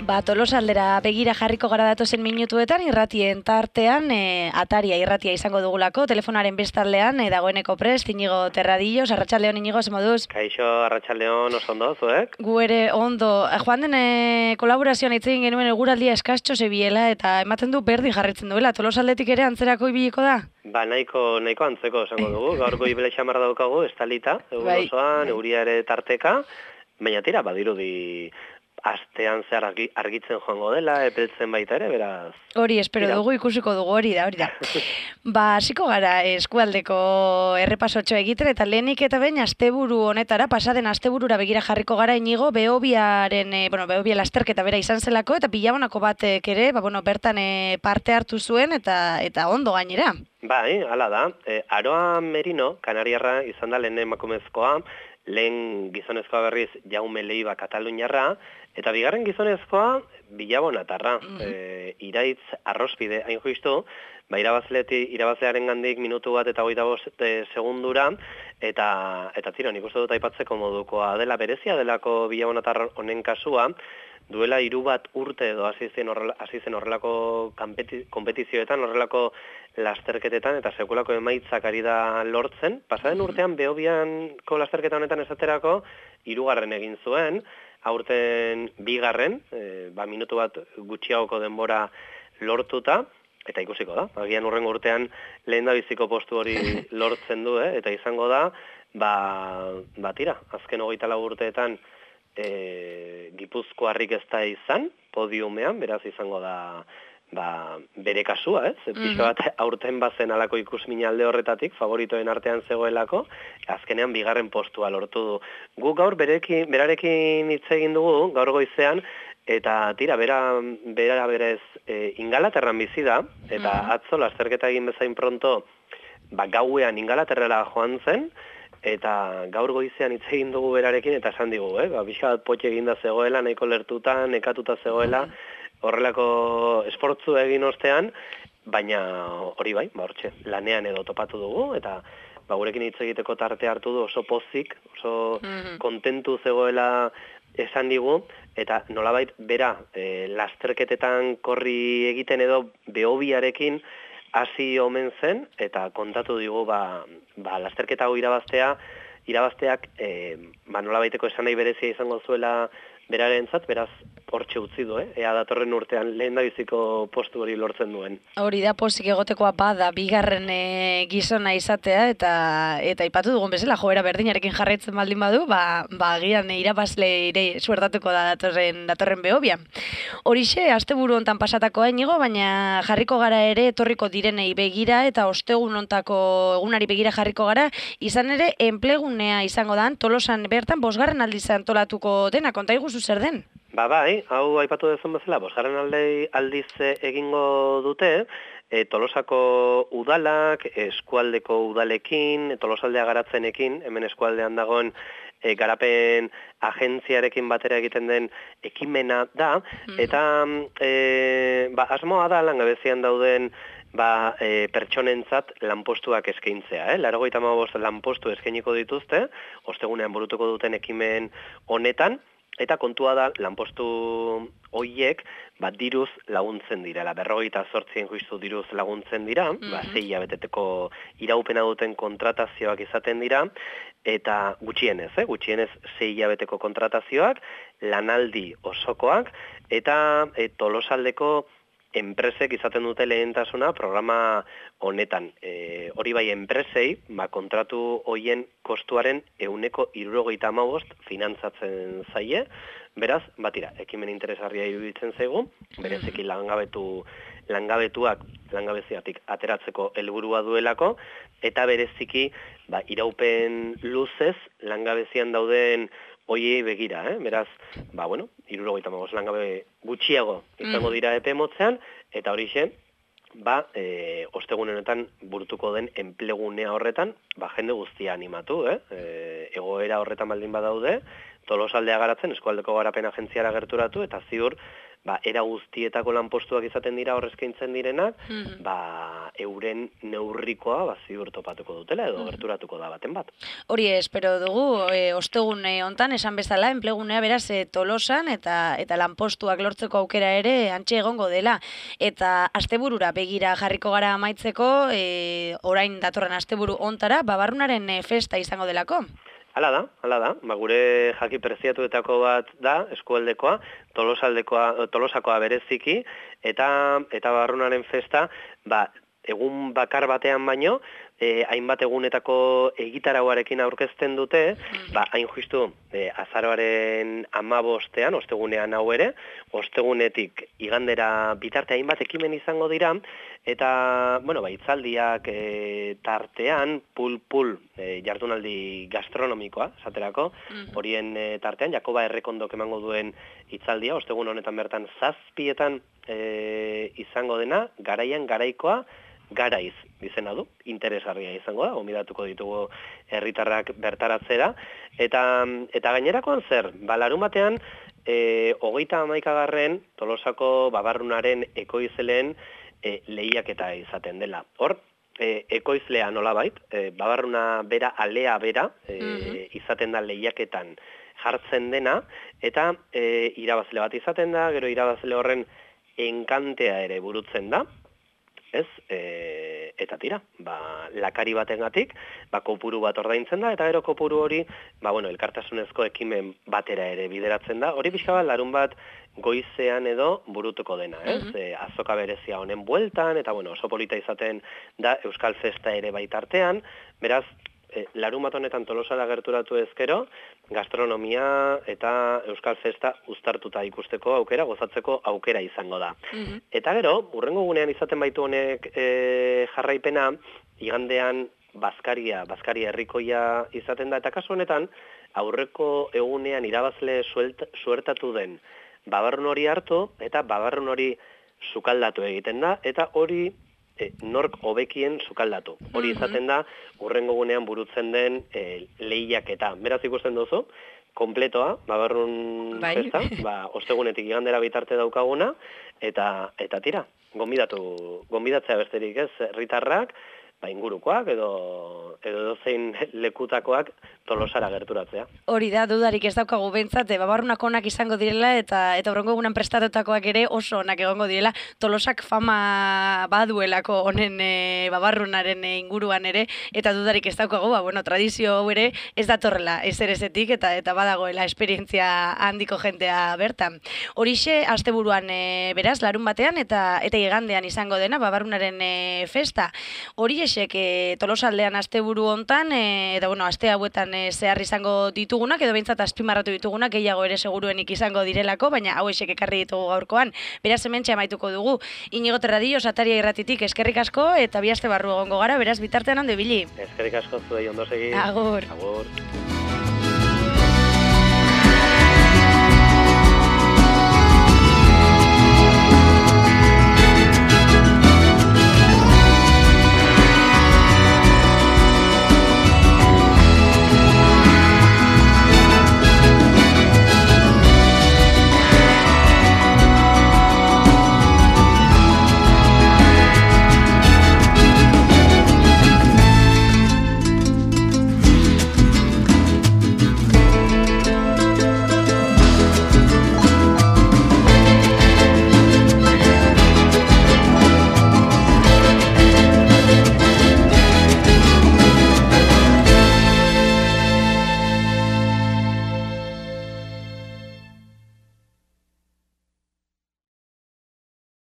Tolosaldera begira jarriko gara datozen minutuetan, irratien tartean, ataria irratia izango dugulako, telefonaren bestaldean, dagoeneko prest, Inigo Terradillos, arratsaldeon Inigo, ze moduz? Kaixo, arratsaldeon oso ondo, zuek? Gu ere ondo, joan den kolaborazioan hitz egin genuen eguraldia eskastxo zebiela, eta ematen du berdin jarritzen duela, Tolosaldetik ere antzerako ibiliko da? Nahiko antzeko esango dugu, gaurko ibile xamar daukagu, estalita, egun osoan, euria ere tarteka, baina tira, badirudi astean zehar argitzen joango dela, epeltzen baita ere, beraz... Hori, espero dugu, ikusiko dugu, hori da. Hasiko gara eskualdeko errepasotxo egiten, eta lehenik eta behin asteburu honetara, pasaden asteburura begira jarriko gara Inigo, Behobia lasterketa bera izan zelako, eta Bilabonako batek ere, bertan parte hartu zuen, eta ondo gainera. Bai, hala da. Aroa Merino, kanariarra izan da lehen emakumezkoa, lehen gizonezkoa berriz Jaume Leiva Kataluniarra, eta bigarren gizonezkoa Bilabonatarra. Iraitz Arrospide, hain justu, irabazlearen gandik minutu bat eta 25 segundura, eta tira, nik uste dut aipatzeko modukoa dela berezia delako Bilabonatar honen kasua, duela 3 bat urte edo hasi zen horrelako konpetizioetan, horrelako lasterketetan, eta sekulako emaitzak ari da lortzen. Pasaden urtean, Behobianko lasterketa honetan esaterako, 3. egin zuen, aurten 2. Minutu bat gutxiagoko denbora lortuta, eta ikusiko da. Agian urrengo urtean lehen da biziko postu hori lortzen du, eta izango da, tira, azken 24 urteetan Gipuzkoarrik ez da izan, podiumean, beraz izango da bere kasua, pixo bat aurten bazen alako ikusmina alde horretatik, favoritoen artean zegoelako, azkenean 2. postua lortu du. Gu gaur berarekin hitz egin dugu, gaur goizean, eta tira, bera berez Ingalaterran bizi da, eta atzo lasterketa egin bezain pronto, gauean Ingalaterrara joan zen, eta gaur goizean hitz egin dugu berarekin, eta esan digu, pixka bat potxe eginda zegoela, nahiko lertuta, nekatuta zegoela, horrelako esportzu egin ostean, baina hori bai, hortxe, lanean edo topatu dugu, eta gurekin hitz egiteko tarte hartu du oso pozik, oso kontentu zegoela esan digu, eta nolabait bera lasterketetan korri egiten edo Behobiarekin hasi omen zen, eta kontatu digu lasterketa hau irabazteak nolabaiteko esan nahi berezia izango zuela berarentzat, beraz hortxe utzi du, ea datorren urtean lehen da biziko postu hori lortzen duen. Hori da, pozik egotekoa bada, 2. gizona izatea, eta ipatu dugun bezala, joera berdinarekin jarraitzen baldin badu, agian irabazle ire suertatuko da datorren Behobian. Horixe, asteburu hontan pasatakoa Inigo, baina jarriko gara ere etorriko direnei begira, eta ostegun hontako egunari begira jarriko gara, izan ere enplegunea izango da, Tolosan bertan 5. aldiz antolatuko dena, konta iguzu zer den? Bai, hau aipatu dezun bezala, 5. aldiz egingo dute, Tolosako udalak, eskualdeko udalekin, Tolosaldea garatzenekin, hemen eskualdean dagoen garapen agentziarekin batera egiten den ekimena da, eta asmoa da langabezian dauden pertsonentzat lanpostuak eskaintzea. 95 lanpostu eskainiko dituzte, ostegunean burutuko duten ekimen honetan, eta kontua da, lanpostu horiek diruz laguntzen dira, 58 justu diruz laguntzen dira, 6 hilabeteteko iraupena duten kontratazioak izaten dira, eta gutxienez 6 hilabeteko kontratazioak, lanaldi osokoak, eta Tolosaldeko enpresek izaten dute lehentasuna programa honetan. Hori bai enpresei, kontratu hoien kostuaren 75% finantzatzen zaie, beraz, ekimen interesgarria iruditzen zaigu, bereziki langabeziatik ateratzeko helburua duelako, eta bereziki iraupen luzez langabezian dauden hoiei begira, beraz, 75 langabe gutxiago izango dira epe motzean, eta horixe, ostegun honetan burutuko den enplegunea horretan, jende guztia animatu, egoera horretan baldin badaude, Tolosaldea garatzen, eskualdeko garapen agentziara gerturatu, eta ziur, era guztietako lanpostuak izaten dira horrezkaintzen direnak, euren neurrikoa ziur topatuko dutela edo gerturatuko da baten bat. Hori espero dugu, ostegun hontan esan bezala, enplegunea beraz Tolosan eta lanpostuak lortzeko aukera ere antxe egongo dela. Eta asteburura begira jarriko gara amaitzeko, orain datorren asteburu hontara, Babarrunaren festa izango delako. Hala da. Gure jaki preziatuetako bat da, eskualdekoa, Tolosakoa bereziki, eta Babarrunaren festa, egun bakar batean baino, hainbat egunetako egitarauarekin aurkezten dute, hain justu azaroaren 15ean, ostegunean hau ere, ostegunetik igandera bitarte hainbat ekimen izango dira, eta, hitzaldiak tartean, pul jardunaldi gastronomikoa, esaterako, horien tartean, Jakoba Errekondok emango duen hitzaldia, ostegun honetan bertan 7etan izango dena, garaian garaikoa, garaiz izena du, interesgarria izango da, gonbidatuko ditugu herritarrak bertaratzera, eta gainerakoan zer, larunbatean, 31. Tolosako Babarrunaren ekoizleen lehiaketa izaten dela. Hor, ekoizlea nolabait, Babarruna bera, alea bera, izaten da lehiaketan jartzen dena, eta irabazle bat izaten da, gero irabazle horren enkantea ere burutzen da, ez, eta tira, lakari batengatik, kopuru bat ordaintzen da, eta gero kopuru hori, elkartasunezko ekimen batera ere bideratzen da, hori pixka bat larun bat goizean edo burutuko dena, ez, azoka berezia honen bueltan, eta oso polita izaten da Euskal Festa ere baitartean, beraz, larun bat honetan Tolosara gerturatu ezkero, gastronomia eta Euskal Festa uztartuta ikusteko aukera, gozatzeko aukera izango da. Eta gero, hurrengo gunean izaten baitu honek jarraipena, igandean Baskaria herrikoia izaten da, eta kasu honetan, aurreko egunean irabazle suertatu den Babarrun hori hartu, eta Babarrun hori sukaldatu egiten da, eta hori nork hobekien sukaldatu. Hori izaten da, hurrengo gunean burutzen den lehiaketa. Beraz ikusten duzu, kompletoa, Babarrun festa, ostegunetik igandera bitarte daukaguna, eta tira, gonbidatzea besterik ez, herritarrak, ingurukoak edo zein lekutakoak Tolosara gerturatzea. Hori da, dudarik ez daukagu behintzat, Babarrunak onak izango direla eta horrengo egunan prestatutakoak ere oso onak egongo direla. Tolosak fama baduelako honen Babarrunaren inguruan ere, eta dudarik ez daukagu, tradizio hau ere ez datorrela ezerezetik eta badagoela esperientzia handiko jentea bertan. Horixe, asteburuan beraz, larun batean eta igandean izango dena Babarrunaren festa. Horixe, Tolosaldean asteburu hontan, eta aste hauetan zehar izango ditugunak, edo behintzat azpimarratu ditugunak, gehiago ere seguruenik izango direlako, baina hauexek ekarri ditugu gaurkoan. Beraz hementxe amaituko dugu. Inigo Terradio, Sataria Irratitik eskerrik asko, eta bi aste barru egongo gara, beraz bitartean hande bili. Eskerrik asko zuei ondo segi. Agur. Agur.